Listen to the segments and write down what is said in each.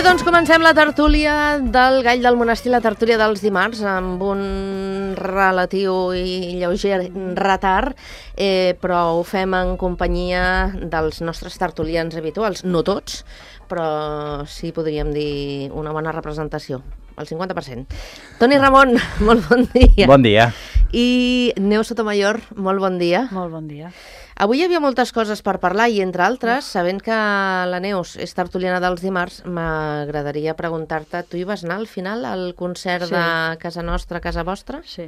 doncs comencem la tertúlia del Gall del Monestir, la tertúlia dels dimarts, amb un relatiu i lleuger retard, però ho fem en companyia dels nostres tertulians habituals, no tots, però sí podríem dir una bona representació, el 50%. Toni Ramon, molt bon dia. Bon dia. I Neus Sotomayor, molt bon dia. Molt bon dia. Avui hi havia moltes coses per parlar i, entre altres, sabent que la Neus és tertuliana dels dimarts, m'agradaria preguntar-te, tu hi vas anar al final al concert de Casa Nostra, Casa Vostra? Sí.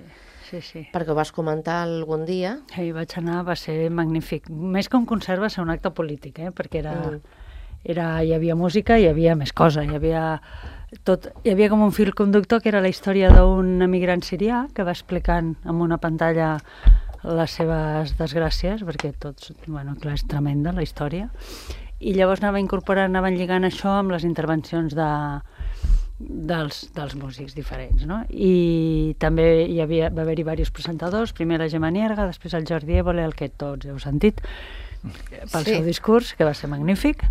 Perquè ho vas comentar algun dia. Hi vaig anar, va ser magnífic. Més que un concert va ser un acte polític, perquè hi havia música, hi havia més cosa, hi havia com un fil conductor que era la història d'un emigrant sirià que va explicant amb una pantalla les seves desgràcies, perquè clar, és tremenda la història, i llavors anaven lligant això amb les intervencions dels músics diferents, no? I també va haver-hi diversos presentadors, primer la Gemma Nierga, després el Jordi Évole, el que tots heu sentit, pel seu discurs, que va ser magnífic,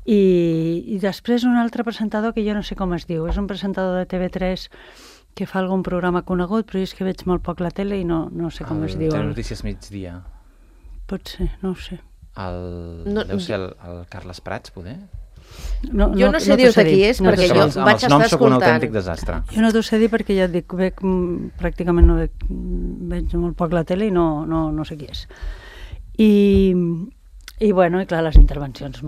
i després un altre presentador que jo no sé com es diu, és un presentador de TV3 que fa algun programa conegut, però és que veig molt poc la tele i no sé com es diu. Telenotícies migdia. Pot ser, no ho sé. Deu ser el Carles Prats, poder? Jo no sé dir-te qui és, perquè jo vaig estar escoltant. Els noms sóc un autèntic desastre. Jo no t'ho sé dir perquè ja et dic, pràcticament no veig molt poc la tele i no sé qui és. I clar, les intervencions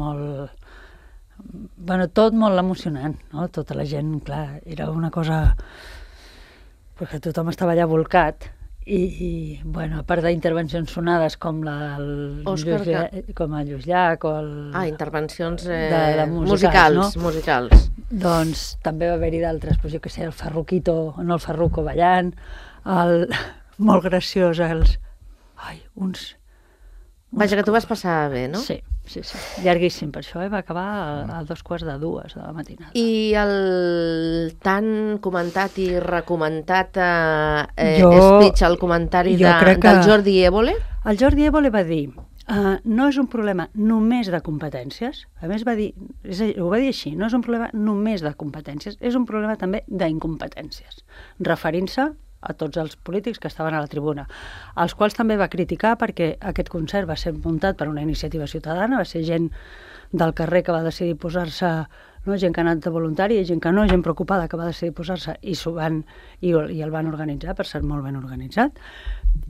tot molt emocionant, no? Tota la gent, clar, era una cosa perquè tothom estava allà volcat i a part d'intervencions sonades com el Lluís Llach o intervencions musicals, musicals. Doncs també va haver-hi d'altres, jo què sé, el Farruco ballant, molt graciós, Vaja, que tu vas passar bé, no? Sí, llarguíssim per això, va acabar a 2:45 de la matinada. I el tan comentat i recomendat speech, el comentari del Jordi Évole? El Jordi Évole va dir, no és un problema només de competències, a més ho va dir així, no és un problema només de competències, és un problema també d'incompetències, referint-se a tots els polítics que estaven a la tribuna, els quals també va criticar perquè aquest concert va ser muntat per una iniciativa ciutadana, va ser gent del carrer que va decidir posar-se, gent que ha anat de voluntari, gent que no, gent preocupada que va decidir posar-se i el van organitzar, per ser molt ben organitzat,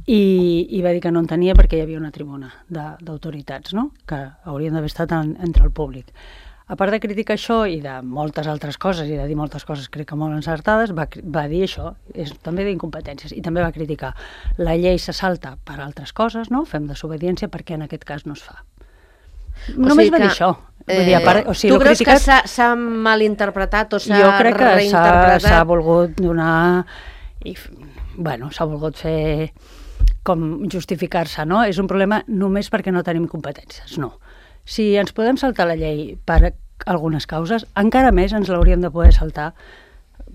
i va dir que no entenia perquè hi havia una tribuna d'autoritats, no? Que haurien d'haver estat entre el públic. A part de criticar això i de moltes altres coses, i de dir moltes coses crec que molt encertades, va dir això, és també d'incompetències, i també va criticar la llei se salta per altres coses, no? Fem desobediència perquè en aquest cas no es fa. Només va dir això. Tu creus que s'ha malinterpretat o s'ha reinterpretat? Jo crec que s'ha volgut donar... s'ha volgut fer com justificar-se, no? És un problema només perquè no tenim competències, no. Si ens podem saltar la llei per algunes causes, encara més ens l'hauríem de poder saltar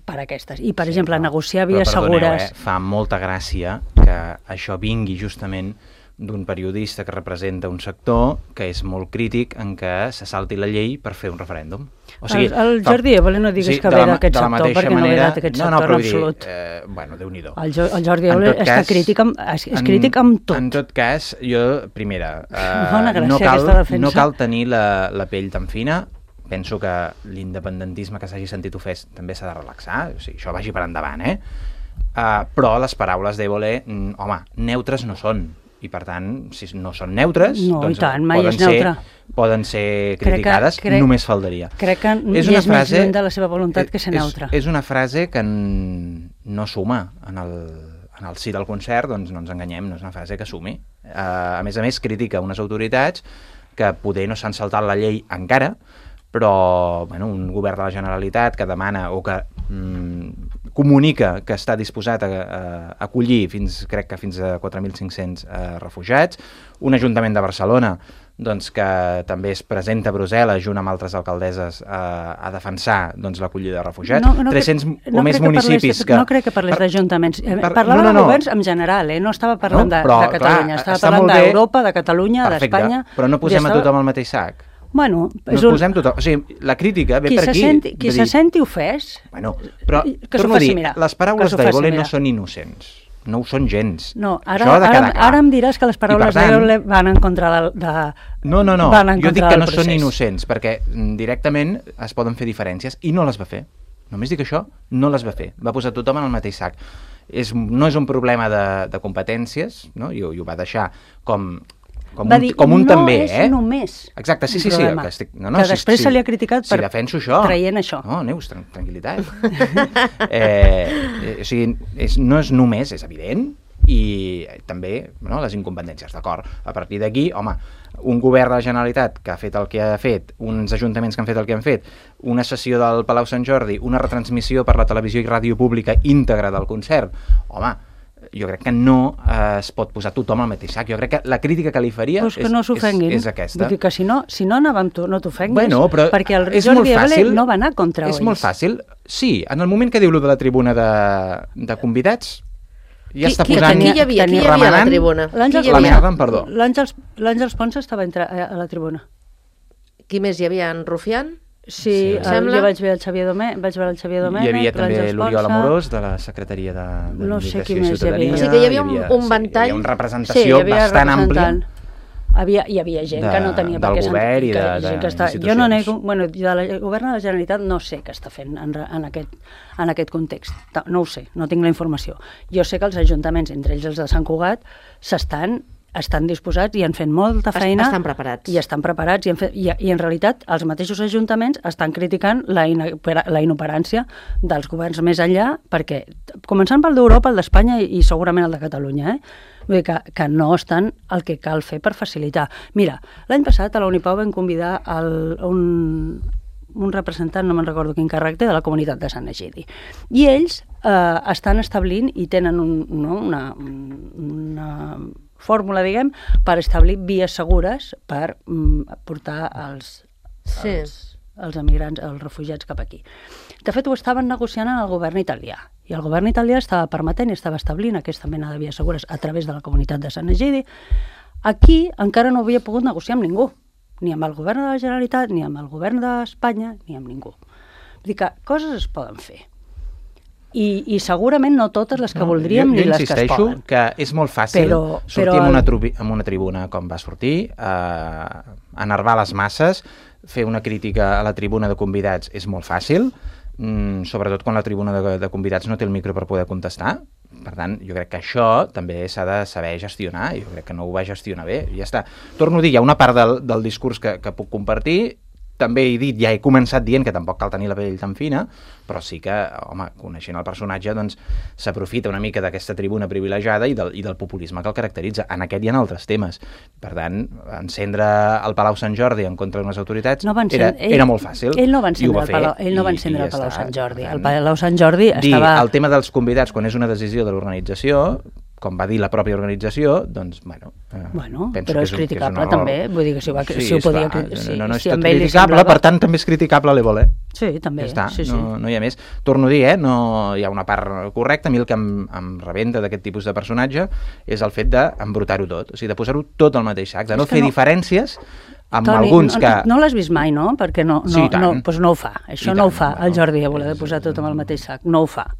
per aquestes. I, per exemple, negociar vies segures... Fa molta gràcia que això vingui justament d'un periodista que representa un sector que és molt crític en què se salti la llei per fer un referèndum. O sigui, el Jordi Évole no diguis que ve d'aquest sector, perquè no ve d'aquest sector en absolut. Déu-n'hi-do. El Jordi Évole és crític amb tot. En tot cas, jo, primera, no cal tenir la pell tan fina. Penso que l'independentisme que s'hagi sentit ofès també s'ha de relaxar, o sigui, això vagi per endavant, però les paraules d'Évole, neutres no són. I, per tant, si no són neutres, poden ser criticades, només faltaria. Crec que és més lluny de la seva voluntat que ser neutra. És una frase que no suma en el si del concert, doncs no ens enganyem, no és una frase que sumi. A més, critica unes autoritats que poder no s'han saltat la llei encara, però un govern de la Generalitat que demana o que comunica que està disposat a acollir crec que fins a 4.500 refugiats, un Ajuntament de Barcelona que també es presenta a Brussel·les junt amb altres alcaldesses a defensar l'acollida de refugiats. 300 o més municipis que... No crec que parlés d'ajuntaments. Parlava de governs en general, no estava parlant de Catalunya, estava parlant d'Europa, de Catalunya, d'Espanya... Però no posem a tothom al mateix sac. Bueno, posem tothom. O sigui, la crítica ve per aquí. Qui se senti ofès... Bueno, però torno a dir, les paraules d'Évole no són innocents. No ho són gens. No, ara em diràs que les paraules d'Évole van en contra de... No, jo dic que no són innocents, perquè directament es poden fer diferències i no les va fer. Només dic això, no les va fer. Va posar tothom en el mateix sac. No és un problema de competències, no? I ho va deixar com un també, no és només exacte, sí, problema. Que després se li ha criticat per traient això. No, Neus, tranquil·litat. O sigui, no és només, és evident, i també les incompetències, d'acord. A partir d'aquí, home, un govern de la Generalitat que ha fet el que ha fet, uns ajuntaments que han fet el que han fet, una sessió del Palau Sant Jordi, una retransmissió per la televisió i ràdio pública íntegra del concert, home, jo crec que no es pot posar tothom al mateix sac. Jo crec que la crítica que li faria que no és aquesta. Vull dir que si no anàvem no t'ofenguis, perquè el és Jordi Évole no va anar contra ells. És molt fàcil. Sí, en el moment que diu lo de la tribuna de convidats, ja està posant... Qui hi havia a la tribuna? L'Àngels Pons estava a la tribuna. Qui més hi havia? En Rufián? Sí, jo vaig veure el Xavier Domènech. Hi havia també l'Oriol Amorós, de la Secretaria de Comunicació i Ciutadania. O sigui que hi havia un ventall... Hi havia una representació bastant àmplia. Hi havia gent que no tenia per què sentir. Del govern i d'institucions. Jo no nego... Bueno, del govern de la Generalitat no sé què està fent en aquest context. No ho sé, no tinc la informació. Jo sé que els ajuntaments, entre ells els de Sant Cugat, estan disposats i han fet molta feina. Estan preparats. I estan preparats. I en realitat els mateixos ajuntaments estan criticant la inoperància dels governs més enllà, perquè, començant pel d'Europa, el d'Espanya i segurament el de Catalunya, vull dir que no estan el que cal fer per facilitar. Mira, l'any passat a la Unipau vam convidar un representant, no me'n recordo quin càrrec té, de la comunitat de Sant Egidi. I ells estan establint i tenen una fórmula, diguem, per establir vies segures per portar els emigrants, els refugiats cap aquí. De fet, ho estaven negociant en el govern italià, i el govern italià estava permetent i estava establint aquesta mena de vies segures a través de la comunitat de Sant Egidi. Aquí encara no havia pogut negociar amb ningú, ni amb el govern de la Generalitat, ni amb el govern d'Espanya, ni amb ningú. Vull dir que coses es poden fer. I segurament no totes les que voldríem ni les que es poden. Jo insisteixo que és molt fàcil sortir en una tribuna com va sortir, enervar les masses, fer una crítica a la tribuna de convidats és molt fàcil, sobretot quan la tribuna de convidats no té el micro per poder contestar. Per tant, jo crec que això també s'ha de saber gestionar, i jo crec que no ho va gestionar bé, i ja està. Torno a dir, hi ha una part del discurs que puc compartir. També he dit, ja he començat dient que tampoc cal tenir la pell tan fina, però sí que, home, coneixent el personatge, doncs s'aprofita una mica d'aquesta tribuna privilegiada i del populisme que el caracteritza, en aquest i en altres temes. Per tant, encendre el Palau Sant Jordi en contra d'unes autoritats era molt fàcil. Ell no va encendre el Palau Sant Jordi. El Palau Sant Jordi estava... El tema dels convidats, quan és una decisió de l'organització, com va dir la pròpia organització, doncs, bueno, però és criticable també, vull dir que si ho podia... No és tot criticable, per tant també és criticable l'Évole. Sí, també. No hi ha més. Torno a dir, no hi ha una part correcta. A mi el que em rebenta d'aquest tipus de personatge és el fet d'embrutar-ho tot, o sigui, de posar-ho tot al mateix sac, de no fer diferències amb alguns que... No l'has vist mai, no? Perquè no ho fa. Això no ho fa el Jordi Évole, de posar tot amb el mateix sac. No ho fa.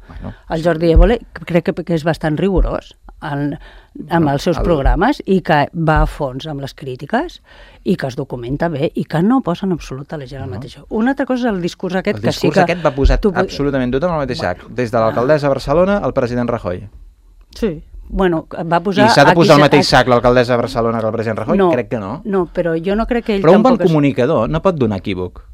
El Jordi Évole crec que és bastant rigorós amb els seus programes i que va a fons amb les crítiques i que es documenta bé i que no posa en absolut a la gent al mateix. Una altra cosa és el discurs aquest que sí que... El discurs aquest va posar absolutament tot al mateix sac, des de l'alcaldessa de Barcelona al president Rajoy. Sí. Bueno, va posar... I s'ha de posar al mateix sac l'alcaldessa de Barcelona que el president Rajoy? Crec que no. No, però jo no crec que ell tampoc... Però un bon comunicador no pot donar equívoc.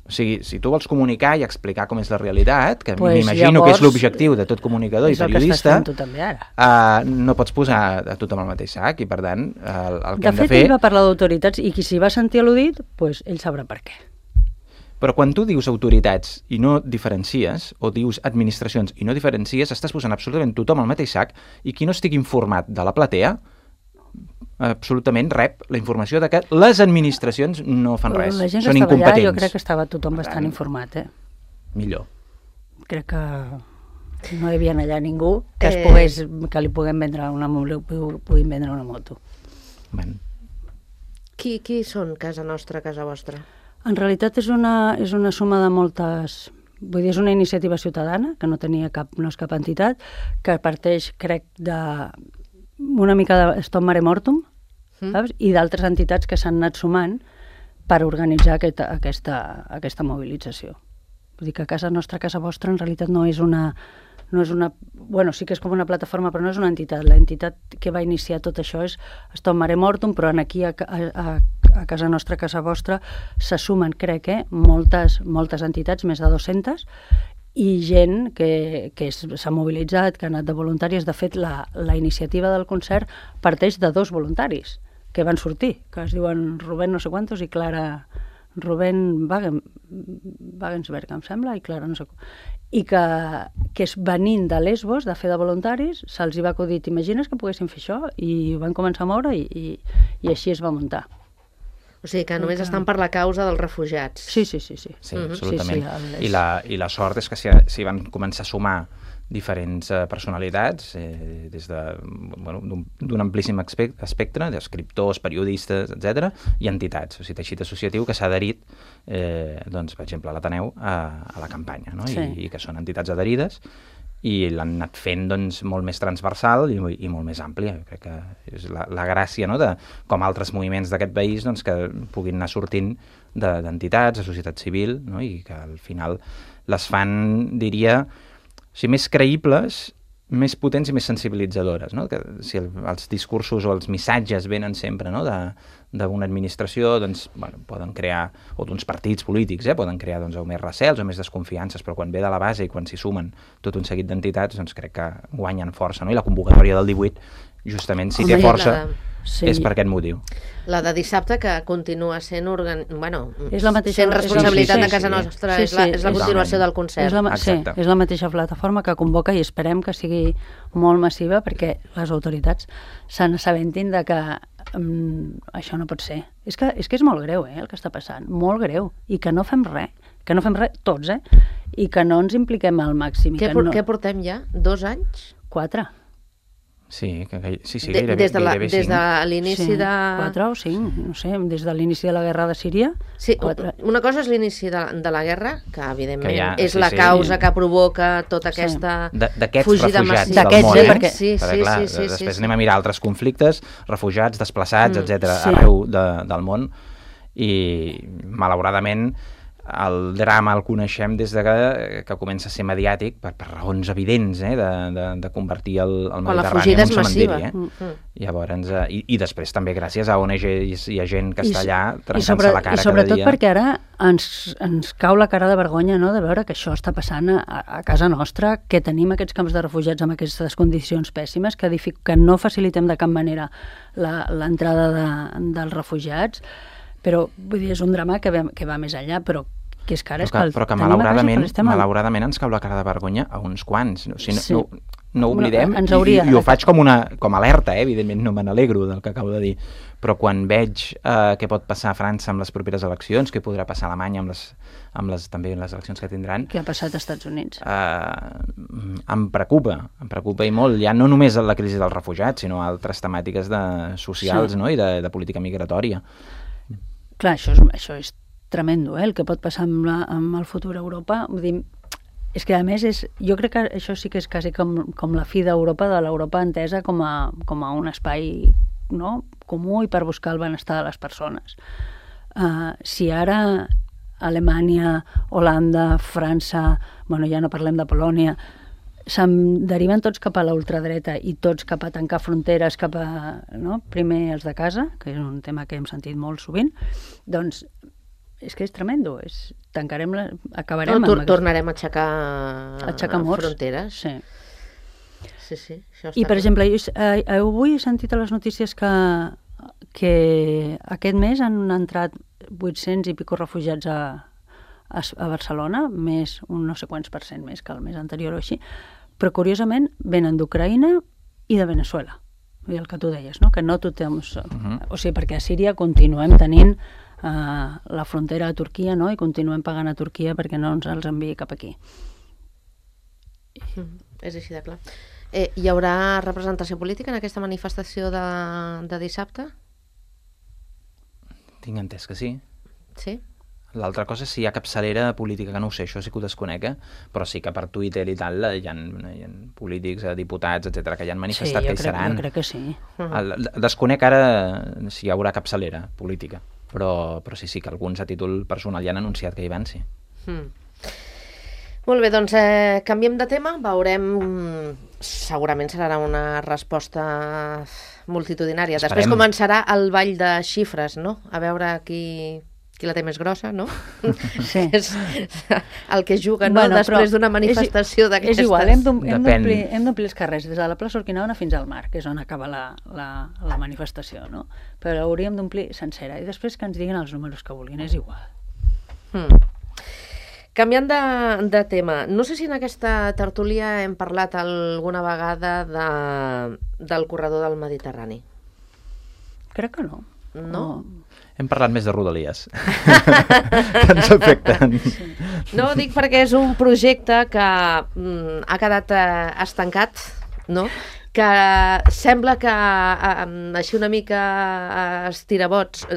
O sigui, si tu vols comunicar i explicar com és la realitat, que m'imagino que és l'objectiu de tot comunicador i periodista, no pots posar a tothom al mateix sac, i per tant el que hem de fer... De fet, ell va parlar d'autoritats i qui s'hi va sentir al·ludit, doncs ell sabrà per què. Però quan tu dius autoritats i no diferencies, o dius administracions i no diferencies, estàs posant absolutament tothom al mateix sac, i qui no estigui informat de la platea absolutament rep la informació de que les administracions no fan res, la gent són que incompetents. Allà, jo crec que estava tothom bastant informat. Millor. Crec que no hi havia allà ningú que li puguin vendre una moto. Bueno. Qui són Casa Nostra, Casa Vostra? En realitat és una suma de moltes... Vull dir, és una iniciativa ciutadana, que no és cap entitat, que parteix, crec, una mica de Stop Mare Mortum, saps? I d'altres entitats que s'han anat sumant per organitzar aquesta mobilització. Vull dir que Casa Nostra, Casa Vostra, en realitat no és una... Bueno, sí que és com una plataforma, però no és una entitat. L'entitat que va iniciar tot això és Stop Mare Mortum, però aquí a Casa Nostra, Casa Vostra, se sumen, crec, moltes entitats, més de 200, i gent que s'ha mobilitzat, que ha anat de voluntaris. De fet, la iniciativa del concert parteix de 2 voluntaris que van sortir, que es diuen Rubén no sé quantos i Clara... Rubén Wagensberg, em sembla, i Clara no sé com. I que és venint de Lesbos, de fer de voluntaris, se'ls hi va acudir, t'imagines que poguessin fer això? I van començar a moure i així es va muntar. O sigui que només estan per la causa dels refugiats. Sí. Sí, absolutament. Sí, I la sort és que s'hi van començar a sumar diferents personalitats des d'un amplíssim espectre d'escriptors, periodistes, etc., i entitats, o sigui, teixit associatiu que s'ha adherit, per exemple, a l'Ateneu a la campanya, no? Sí. I que són entitats adherides i l'han anat fent molt més transversal i molt més àmplia. Jo crec que és la gràcia, no?, de com altres moviments d'aquest país que puguin anar sortint d'entitats, de societat civil, no?, i que al final les fan, diria, més creïbles, més potents i més sensibilitzadores, no? Que si els discursos o els missatges venen sempre, no?, d'una administració, doncs, poden crear, o d'uns partits polítics, poden crear o més recels o més desconfiances, però quan ve de la base i quan s'hi sumen tot un seguit d'entitats, doncs crec que guanyen força, no? I la convocatòria del 18, justament, si té força, és per aquest motiu. La de dissabte, que continua sent sent responsabilitat de Casa Nostra, és la continuació del concert. És la mateixa plataforma que convoca i esperem que sigui molt massiva perquè les autoritats se n'assabentin de que això no pot ser. És que és molt greu, el que està passant, molt greu, i que no fem res tots, i que no ens impliquem al màxim. Què portem ja? 2 anys? 4. Sí, gairebé. Des de l'inici de... 4 o 5, no sé, des de l'inici de la guerra de Síria. Sí, 4. Una cosa és l'inici de la guerra, que evidentment és la causa que provoca tota aquesta fugida massiva. D'aquests refugiats del món, perquè després anem a mirar altres conflictes, refugiats, desplaçats, etc., arreu del món, i malauradament el drama el coneixem des de que comença a ser mediàtic per raons evidents, de convertir el Mediterrani en un cementiri. Llavors, i després també gràcies a ONGs i a gent que està allà trencant-se la cara cada dia. I sobretot perquè ara ens cau la cara de vergonya, no?, de veure que això està passant a casa nostra, que tenim aquests camps de refugiats amb aquestes condicions pèssimes, que no facilitem de cap manera l'entrada dels refugiats, però vull dir, és un drama que va més enllà, però que és que ara però que malauradament ens cau la cara de vergonya a uns quants. O sigui, no oblidem, i ho faig com alerta, evidentment no me n'alegro del que acabo de dir, però quan veig què pot passar a França amb les properes eleccions, què podrà passar a Alemanya també en les eleccions que tindran... Què ha passat als Estats Units? Em preocupa i molt, ja no només la crisi dels refugiats, sinó altres temàtiques socials, no?, i de política migratòria. Clar, això és tremendo, el que pot passar amb el futur a Europa. Vull dir, és que a més jo crec que això sí que és quasi com la fi d'Europa, de l'Europa entesa com a un espai, no?, comú i per buscar el benestar de les persones. Si ara Alemanya, Holanda, França, ja no parlem de Polònia, se'n deriven tots cap a la ultradreta i tots cap a tancar fronteres, primer els de casa, que és un tema que hem sentit molt sovint, doncs és que és tremendo, acabarem... Tornarem a aixecar fronteres. Sí. I, per exemple, avui he sentit a les notícies que aquest mes han entrat 800 i pico refugiats a Barcelona, més un no sé quants % més que el mes anterior o així, però curiosament venen d'Ucraïna i de Venezuela. El que tu deies, no?, que no tothom... O sigui, perquè a Síria continuem tenint la frontera a Turquia, no?, i continuem pagant a Turquia perquè no ens els enviï cap aquí. És així de clar. Hi haurà representació política en aquesta manifestació de dissabte? Tinc entès que sí. Sí? L'altra cosa és si hi ha capçalera política, que no ho sé, això sí que ho desconec, però sí que per Twitter i tal hi ha polítics, diputats, etc que ja han manifestat que hi seran. Jo crec que sí. Desconec ara si hi haurà capçalera política, però sí que alguns a títol personal ja han anunciat que hi van, sí. Molt bé, doncs canviem de tema, veurem, segurament serà una resposta multitudinària. Esperem. Després començarà el ball de xifres, no? A veure qui la té més grossa, no? Sí. És el que juga, no? Després d'una manifestació d'aquestes. És igual, hem d'omplir els carrers des de la plaça Urquinaona fins al mar, que és on acaba la manifestació, no? Però l'hauríem d'omplir sencera i després que ens diguin els números que vulguin, és igual. Canviant de tema, no sé si en aquesta tertúlia hem parlat alguna vegada del corredor del Mediterrani. Crec que no. No? Hem parlat més de Rodalies, que ens afecten. No, dic perquè és un projecte que ha quedat estancat, no? Que sembla que així una mica estirabots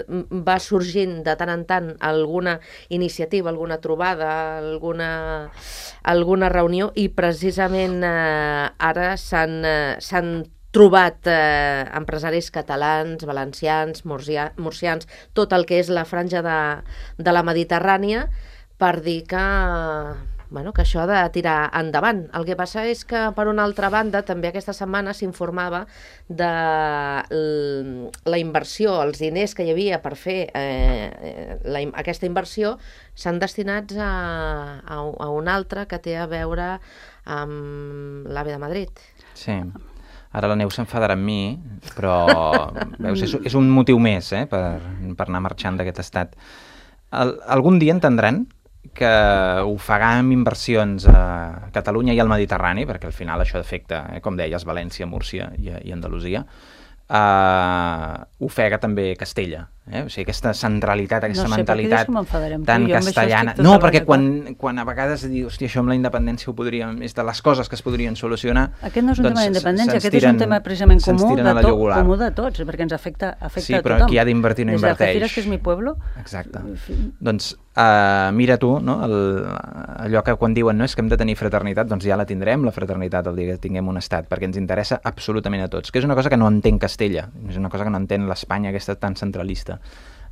va sorgint de tant en tant alguna iniciativa, alguna trobada, alguna reunió, i precisament ara s'han trobat empresaris catalans, valencians, murcians, tot el que és la franja de la Mediterrània, per dir que això ha de tirar endavant. El que passa és que, per una altra banda, també aquesta setmana s'informava de la inversió, els diners que hi havia per fer aquesta inversió s'han destinats a un altre que té a veure amb l'AVE de Madrid. Sí. Ara la Neus s'enfadarà amb mi, però veus, és un motiu més per anar marxant d'aquest estat. Algun dia entendran que ofegar amb inversions a Catalunya i al Mediterrani, perquè al final això afecta, com deies, València, Múrcia i Andalusia, ofega també Castella. O sigui, aquesta centralitat, aquesta mentalitat tan castellana. No, perquè quan a vegades dius, hòstia, això amb la independència ho podríem... És de les coses que es podrien solucionar... Aquest no és un tema d'independència, aquest és un tema precisament comú de tots, perquè ens afecta a tothom. Sí, però qui ha d'invertir no inverteix. Des d'Algeciras, que és mi pueblo... Exacte. Doncs mira tu, no? Allò que quan diuen és que hem de tenir fraternitat, doncs ja la tindrem, la fraternitat, el dia que tinguem un estat, perquè ens interessa absolutament a tots, que és una cosa que no entén Castella, és una cosa que no entén l'Espanya aquesta tan centralista.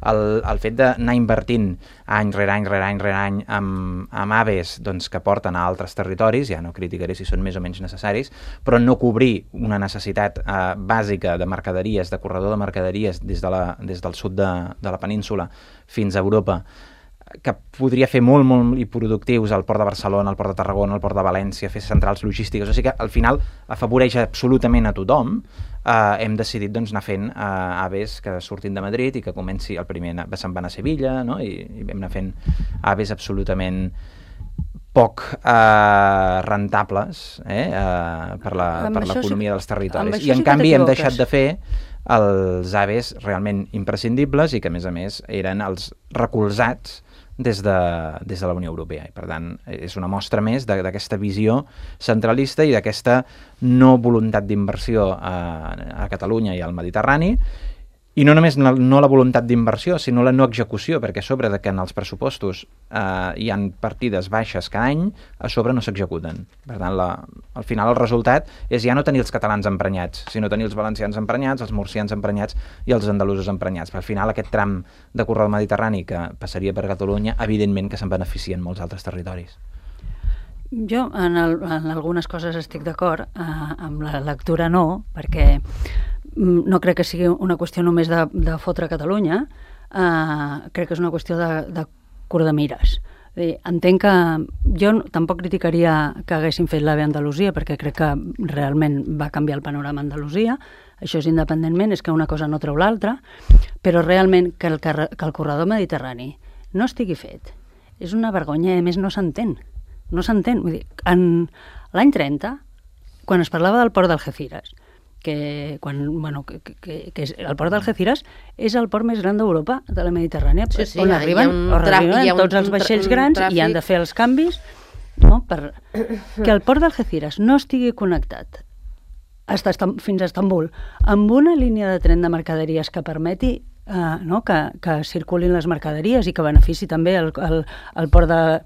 El fet d'anar invertint any rere any amb aves que porten a altres territoris, ja no criticaré si són més o menys necessaris, però no cobrir una necessitat bàsica de mercaderies, de corredor de mercaderies des del sud de la península fins a Europa, que podria fer molt i productius al Port de Barcelona, al Port de Tarragona, al Port de València, fer centrals logístiques, o sigui que al final afavoreix absolutament a tothom. Hem decidit anar fent aves que surtin de Madrid i que comenci, el primer se'n van a Sevilla, no? I vam anar fent aves absolutament poc rentables per l'economia dels territoris. I en canvi hem deixat de fer els aves realment imprescindibles i que a més eren els recolzats des de la Unió Europea. I, per tant, és una mostra més d'aquesta visió centralista i d'aquesta no voluntat d'inversió a Catalunya i al Mediterrani, i no només no la voluntat d'inversió, sinó la no execució, perquè a sobre de que en els pressupostos hi ha partides baixes cada any, a sobre no s'executen. Per tant, al final el resultat és ja no tenir els catalans emprenyats, sinó tenir els valencians emprenyats, els murcians emprenyats i els andalusos emprenyats. Però al final aquest tram de corredor mediterrani que passaria per Catalunya, evidentment que se'n beneficien molts altres territoris. Jo en algunes coses estic d'acord, amb la lectura no, perquè no crec que sigui una qüestió només de fotre Catalunya, crec que és una qüestió de curt de mires. Entenc que jo tampoc criticaria que haguessin fet l'AVE a Andalusia, perquè crec que realment va canviar el panorama a Andalusia, això és independentment, és que una cosa no treu l'altra, però realment que el corredor mediterrani no estigui fet és una vergonya, a més no s'entén. No s'entén. Vull dir, l'any 30, quan es parlava del port d'Algeciras, que el port d'Algeciras és el port més gran d'Europa, de la Mediterrània, on arriben tots els vaixells grans i han de fer els canvis, no? Que el port d'Algeciras no estigui connectat fins a Estambul amb una línia de tren de mercaderies que permeti no? que circulin les mercaderies i que benefici també el port de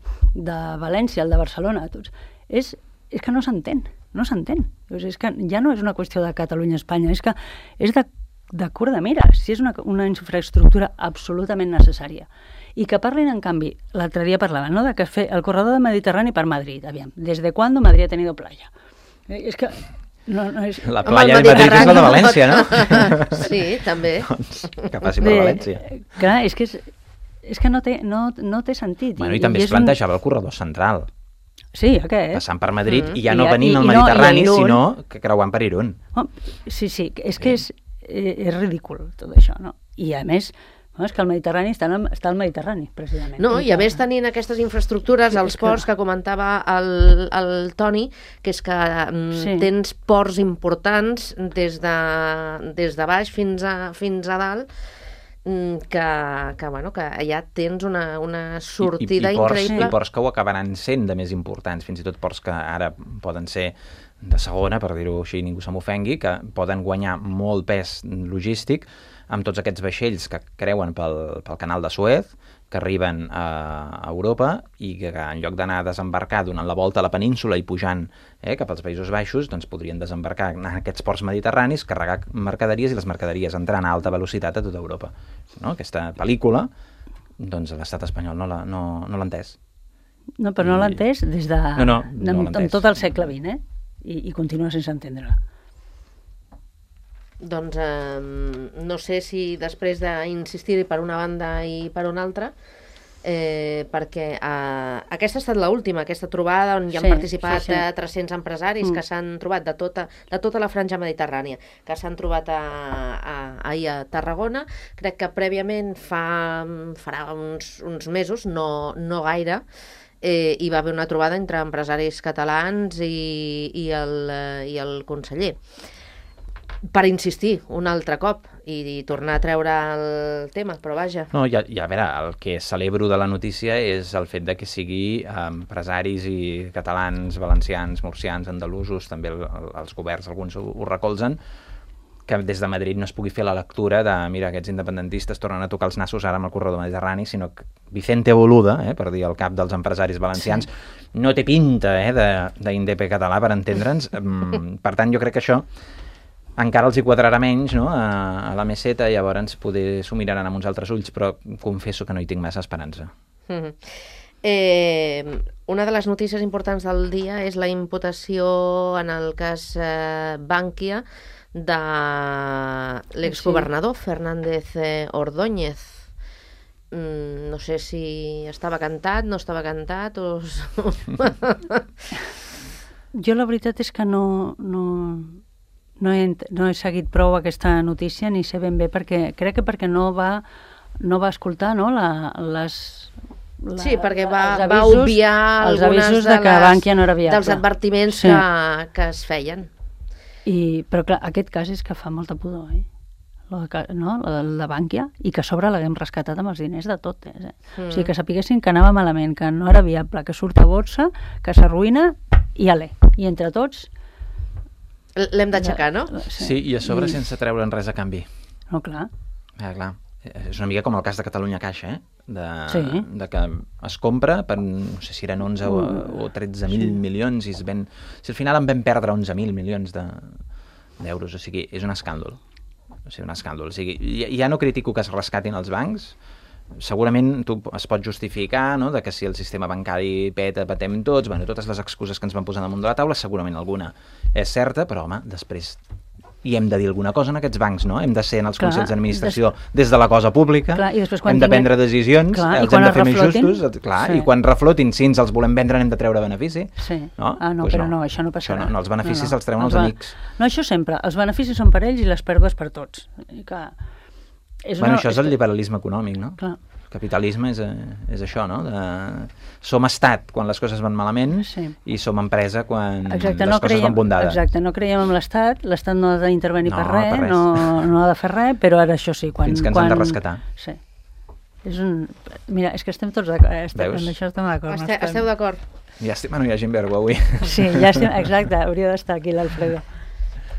València, el de Barcelona, tots. És que no s'entén. És que ja no és una qüestió de Catalunya-Espanya, és que és de curt de mira, si és una infraestructura absolutament necessària. I que parlin, en canvi, l'altre dia parlaven, no?, de que fer el corredor del Mediterrani per Madrid. Aviam, ¿des de cuándo Madrid ha tenido playa? És que... No és... La playa de Madrid és la de València, no? Sí, també. Doncs, que passi per València. Clar, és que no té sentit. Bueno, i també es plantejava el corredor central. Sí, aquest. Passant per Madrid i ja no venint al Mediterrani, sinó que creuant per Irún. Sí, és que és ridícul tot això, no? I a més, és que el Mediterrani està al Mediterrani, precisament. No, i a més tenint aquestes infraestructures, els ports que comentava el Toni, que és que tens ports importants des de baix fins a dalt, que allà tens una sortida increïble. I ports que ho acabaran sent de més importants, fins i tot ports que ara poden ser de segona, per dir-ho així, ningú se m'ofengui, que poden guanyar molt pes logístic amb tots aquests vaixells que creuen pel canal de Suez, que arriben a Europa i que en lloc d'anar a desembarcar donant la volta a la península i pujant cap als Països Baixos, doncs podrien desembarcar en aquests ports mediterranis, carregar mercaderies i les mercaderies entrant a alta velocitat a tota Europa. No? Aquesta pel·lícula, doncs l'estat espanyol no l'ha entès. No, però no l'ha entès des de... No l'ha entès. En tot el segle XX, i continua sense entendre-la. Doncs no sé si després d'insistir-hi per una banda i per una altra, perquè aquesta ha estat l'última, aquesta trobada on hi han participat 300 empresaris que s'han trobat de tota la franja mediterrània, que s'han trobat ahir a Tarragona. Crec que prèviament farà uns mesos, no gaire, hi va haver una trobada entre empresaris catalans i el conseller, per insistir un altre cop i tornar a treure el tema, però vaja. No, a veure, el que celebro de la notícia és el fet de que sigui empresaris i catalans, valencians, murcians, andalusos, també els governs, alguns ho recolzen, que des de Madrid no es pugui fer la lectura de, mira, aquests independentistes tornen a tocar els nassos ara amb el corredor mediterrani, sinó que Vicente Boluda, per dir el cap dels empresaris valencians, no té pinta d'INDP català, per entendre'ns. Per tant, jo crec que això encara els hi quadrarà menys, no?, a la meseta, i llavors poder s'ho miraran amb uns altres ulls, però confesso que no hi tinc massa esperança. Una de les notícies importants del dia és la imputació en el cas Bankia de l'exgovernador Fernández Ordóñez. No sé si estava cantat, no estava cantat o... Jo la veritat és que no he seguit prou aquesta notícia, ni sé ben bé, crec que perquè no va escoltar, no?, sí, perquè va obviar els avisos de que Bankia no era viable, dels advertiments que es feien. Però clar, aquest cas és que fa molta pudor, el de Bankia, i que a sobre l'haguem rescatat amb els diners de tot. O sigui, que sapiguessin que anava malament, que no era viable, que surt a borsa, que s'arruïna, i entre tots l'hem d'aixecar, no? Sí, i a sobre sense treure'n res a canvi. No, clar. Clar. És una mica com el cas de Catalunya Caixa, de que es compra per, no sé si eren 11 o 13.000 milions, i si al final en vam perdre 11.000 milions d'euros, o sigui, és un escàndol. O sigui, ja no critico que es rescatin els bancs, segurament es pot justificar, no?, de que si el sistema bancari patem tots, totes les excuses que ens van posar damunt de la taula, segurament alguna és certa, però home, després hi hem de dir alguna cosa en aquests bancs, no? Hem de ser en els consells d'administració des de la cosa pública, hem de prendre decisions, els hem de fer més justos, i quan reflotin, si ens els volem vendre n'hem de treure benefici. No, però no, això no passarà. Els beneficis els treuen els amics. No, això sempre, els beneficis són per ells i les pèrdues per tots. Això és el liberalisme econòmic, no? Clar. El capitalisme és això, no? Som estat quan les coses van malament i som empresa quan les coses van bondades. Exacte, no creiem en l'estat no ha d'intervenir per res, no ha de fer res, però ara això sí. Fins que ens han de rescatar. Sí. Mira, és que estem tots d'acord. En això estem d'acord. Esteu d'acord? Ja estem, hi ha gent vergo avui. Sí, ja estem, exacte, hauria d'estar aquí l'Alfredo.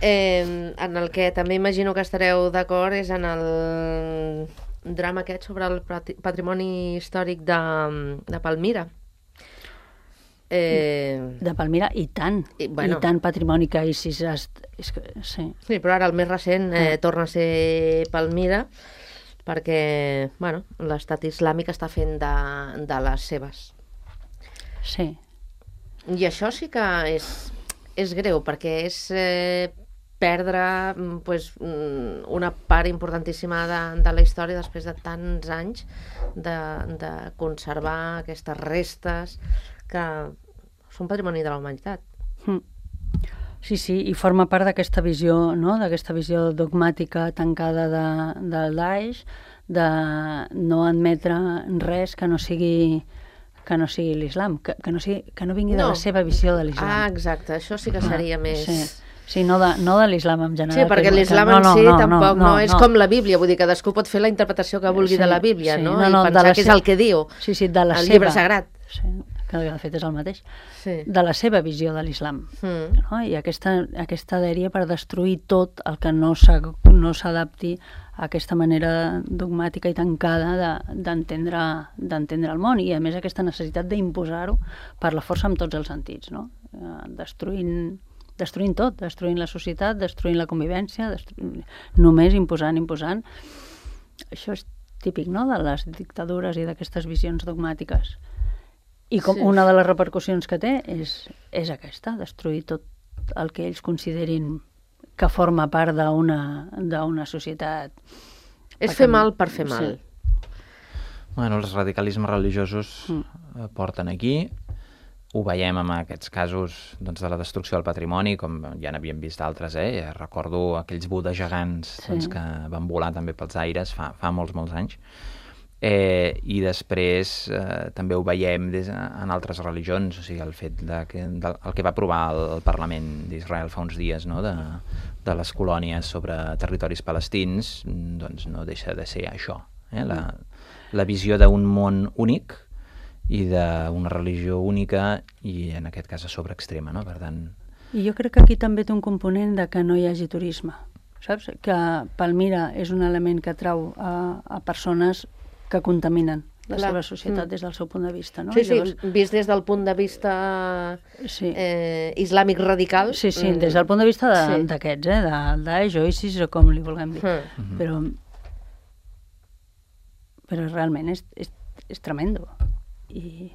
En el que també imagino que estareu d'acord és en el drama aquest sobre el patrimoni històric de Palmira. De Palmira, i tant. I tant patrimoni que ISIS... Sí, però ara el més recent torna a ser Palmira perquè l'estat islàmic està fent de les seves. Sí. I això sí que és greu, perquè és perdre una part importantíssima de la història després de tants anys de conservar aquestes restes que són patrimoni de la humanitat. Sí, i forma part d'aquesta visió, no?, d'aquesta visió dogmàtica tancada del Daesh, de no admetre res que no sigui l'islam, que no vingui de la seva visió de l'islam. Ah, exacte, això sí que seria més... Sí, no de l'islam en general. Sí, perquè l'islam en si tampoc no és com la Bíblia, vull dir, cadascú pot fer la interpretació que vulgui de la Bíblia, no? I pensar que és el que diu, el llibre sagrat. Sí, que de fet és el mateix, de la seva visió de l'islam. I aquesta dèria per destruir tot el que no s'adapti a aquesta manera dogmàtica i tancada d'entendre el món, i a més aquesta necessitat d'imposar-ho per la força en tots els sentits, no? Destruint tot, destruint la societat, destruint la convivència, només imposant. Això és típic, no?, de les dictadures i d'aquestes visions dogmàtiques. I una de les repercussions que té és aquesta, destruir tot el que ells considerin que forma part d'una societat. És fer mal per fer mal. Bueno, els radicalismes religiosos porten aquí. Ho veiem amb aquests casos de la destrucció del patrimoni, com ja n'havíem vist d'altres, recordo aquells budes gegants que van volar també pels aires fa molts anys. I després també ho veiem en altres religions, o sigui, el fet el que va aprovar el Parlament d'Israel fa uns dies, no?, de les colònies sobre territoris palestins, doncs no deixa de ser això, la visió d'un món únic i d'una religió única i en aquest cas a sobreextrema, no? Per tant... I jo crec que aquí també té un component de que no hi hagi turisme, saps? Que Palmira és un element que atrau a persones que contaminen la seva societat des del seu punt de vista, no? Sí, llavors... vist des del punt de vista islàmic radical. Sí, des del punt de vista d'aquests, del Daesh o ISIS o com li vulguem dir. Però realment és tremendo. I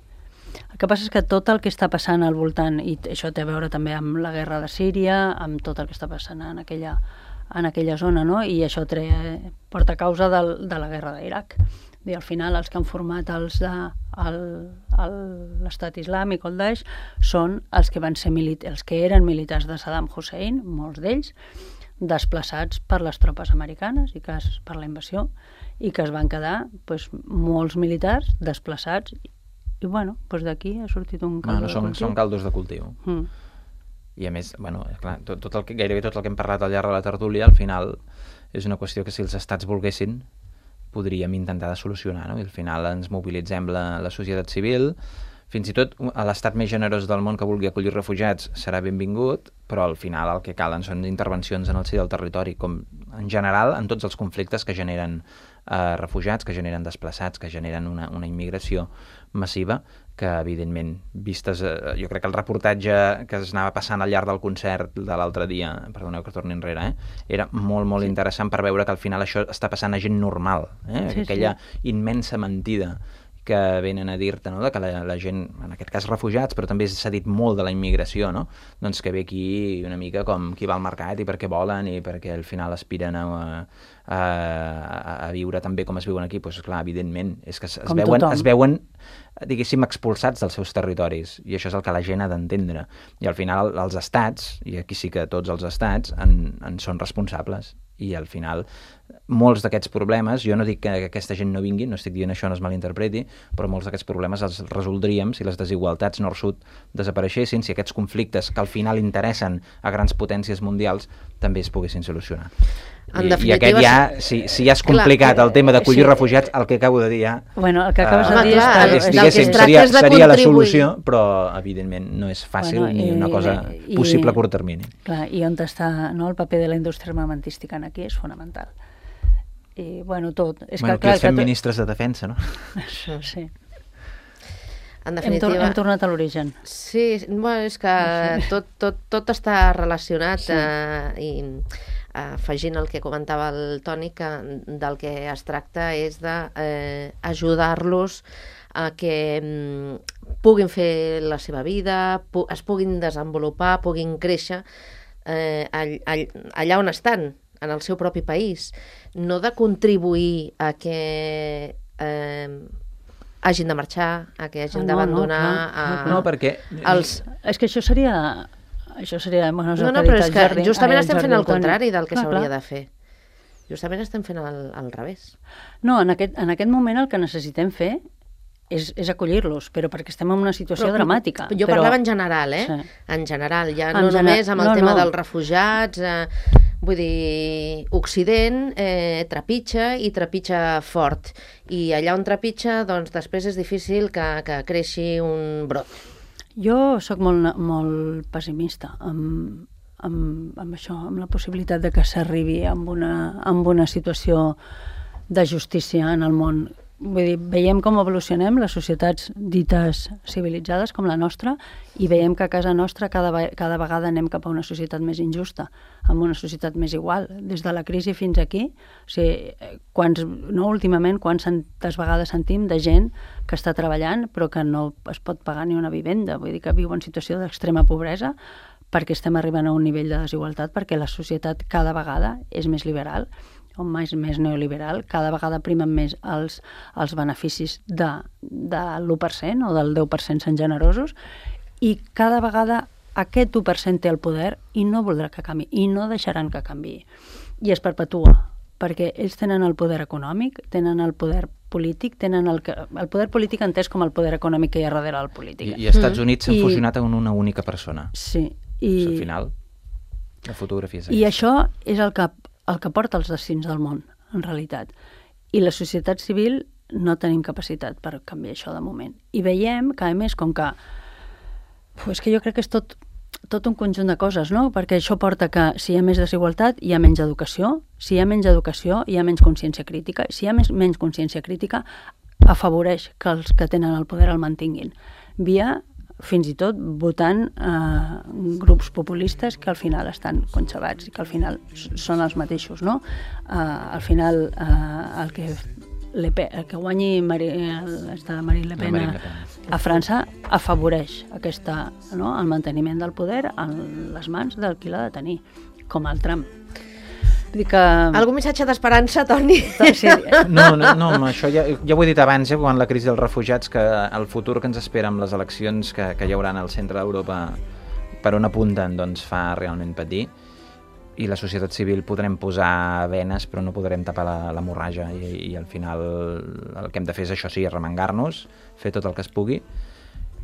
el que passa és que tot el que està passant al voltant, i això té a veure també amb la guerra de Síria, amb tot el que està passant en aquella zona, no? I això porta a causa de la guerra d'Iraq. I al final els que han format l'estat islàmic o el Daesh són els que eren militars de Saddam Hussein, molts d'ells, desplaçats per les tropes americanes i per la invasió, i que es van quedar molts militars desplaçats. I d'aquí ha sortit un caldo de cultiu. Són caldos de cultiu. I a més, clar, gairebé tot el que hem parlat al llarg de la tertúlia, al final és una qüestió que si els estats volguessin podríem intentar de solucionar, no? I al final ens mobilitzem la societat civil, fins i tot a l'estat més generós del món que vulgui acollir refugiats serà benvingut, però al final el que calen són intervencions en el si del territori, com en general en tots els conflictes que generen refugiats, que generen desplaçats, que generen una immigració massiva, que evidentment, vistes, jo crec que el reportatge que es anava passant al llarg del concert de l'altre dia, perdoneu que torni enrere, era molt interessant per veure que al final això està passant a gent normal, aquella immensa mentida que venen a dir-te, no?, de que la gent, en aquest cas refugiats, però també s'ha dit molt de la immigració, no?, doncs que ve aquí una mica com qui va al mercat i perquè volen i perquè al final aspiren a viure també com es viuen aquí. Doncs clar, evidentment, és que es veuen, diguéssim, expulsats dels seus territoris, i això és el que la gent ha d'entendre. I al final els estats, i aquí sí que tots els estats, en són responsables. I al final molts d'aquests problemes, jo no dic que aquesta gent no vingui, no estic dient això, no es malinterpreti, però molts d'aquests problemes els resoldríem si les desigualtats nord-sud desapareixessin, si aquests conflictes que al final interessen a grans potències mundials també es poguessin solucionar. I aquest ja, si ja és complicat el tema d'acollir refugiats, el que acabo de dir ja... Bueno, el que acabes de dir diguéssim, seria la solució, però evidentment no és fàcil ni una cosa possible a curt termini. Clar, i on està el paper de la indústria armamentística aquí és fonamental. I, bueno, tot. Aquí els fem ministres de defensa, no? Això, sí. En definitiva... Hem tornat a l'origen. Sí, bueno, és que tot està relacionat i afegint el que comentava el Toni, que del que es tracta és d'ajudar-los a que puguin fer la seva vida, es puguin desenvolupar, puguin créixer allà on estan, en el seu propi país, no de contribuir a que hagin de marxar, a que hagin d'abandonar... No, perquè... És que això seria... No, però és que justament estem fent el contrari del que s'hauria de fer. Justament estem fent al revés. No, en aquest moment el que necessitem fer és acollir-los, però perquè estem en una situació dramàtica. Jo parlava en general, Sí. En general, ja no només amb el tema dels refugiats... Vull dir, Occident trepitja i trepitja fort. I allà on trepitja, doncs després és difícil que creixi un brot. Jo sóc molt pessimista amb això, amb la possibilitat de que s'arribi amb una situació de justícia en el món. Vull dir, veiem com evolucionem les societats dites civilitzades com la nostra i veiem que a casa nostra cada vegada anem cap a una societat més injusta, amb una societat més igual. Des de la crisi fins aquí, o sigui, últimament, quantes vegades sentim de gent que està treballant però que no es pot pagar ni una vivenda, vull dir que viu en situació d'extrema pobresa perquè estem arribant a un nivell de desigualtat, perquè la societat cada vegada és més liberal, o més neoliberal, cada vegada primen més els beneficis de l'1% o del 10% són generosos, i cada vegada aquest 1% té el poder i no voldrà que canvi, i no deixaran que canviï. I es perpetua, perquè ells tenen el poder econòmic, tenen el poder polític, tenen el poder polític entès com el poder econòmic que hi ha darrere del polític. I als Estats Units s'han fusionat en una única persona. Sí. Al final, la fotografia és aquesta. I això és el que porta els destins del món, en realitat. I la societat civil no tenim capacitat per canviar això de moment. I veiem que, a més, com que... És que jo crec que és tot un conjunt de coses, no? Perquè això porta que si hi ha més desigualtat, hi ha menys educació. Si hi ha menys educació, hi ha menys consciència crítica. Si hi ha menys consciència crítica, afavoreix que els que tenen el poder el mantinguin. Via... fins i tot votant grups populistes que al final estan conxabats i que al final són els mateixos, no? Al final el que guanyi Marine Le Pen a França afavoreix el manteniment del poder en les mans del qui l'ha de tenir, com el Trump. Algun missatge d'esperança, Toni? Sí. No, això ja ho he dit abans, quan la crisi dels refugiats, que el futur que ens espera amb les eleccions que hi haurà al centre d'Europa per on apunten, doncs fa realment patir, i la societat civil podrem posar venes però no podrem tapar l'hemorràgia, i al final el que hem de fer és això, sí, arremangar-nos, fer tot el que es pugui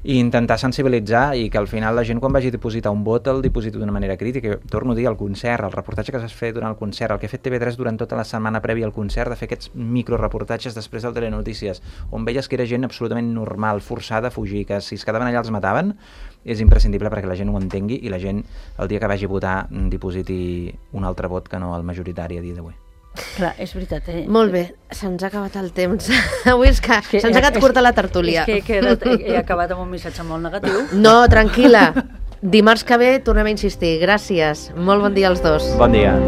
i intentar sensibilitzar, i que al final la gent quan vagi a dipositar un vot el dipositi d'una manera crítica. Torno a dir, el concert, el reportatge que s'ha fet durant el concert, el que ha fet TV3 durant tota la setmana prèvia al concert, de fer aquests microreportatges després del Telenotícies, on veies que era gent absolutament normal, forçada a fugir, que si es quedaven allà els mataven, és imprescindible perquè la gent ho entengui i la gent, el dia que vagi a votar, dipositi un altre vot que no el majoritari a dia d'avui. Clar, és veritat. Molt bé, se'ns ha acabat el temps. Avui és que se'ns ha acabat curta la tertúlia. És que he acabat amb un missatge molt negatiu. No, tranquil·la. Dimarts que ve tornem a insistir. Gràcies. Molt bon dia als dos. Bon dia.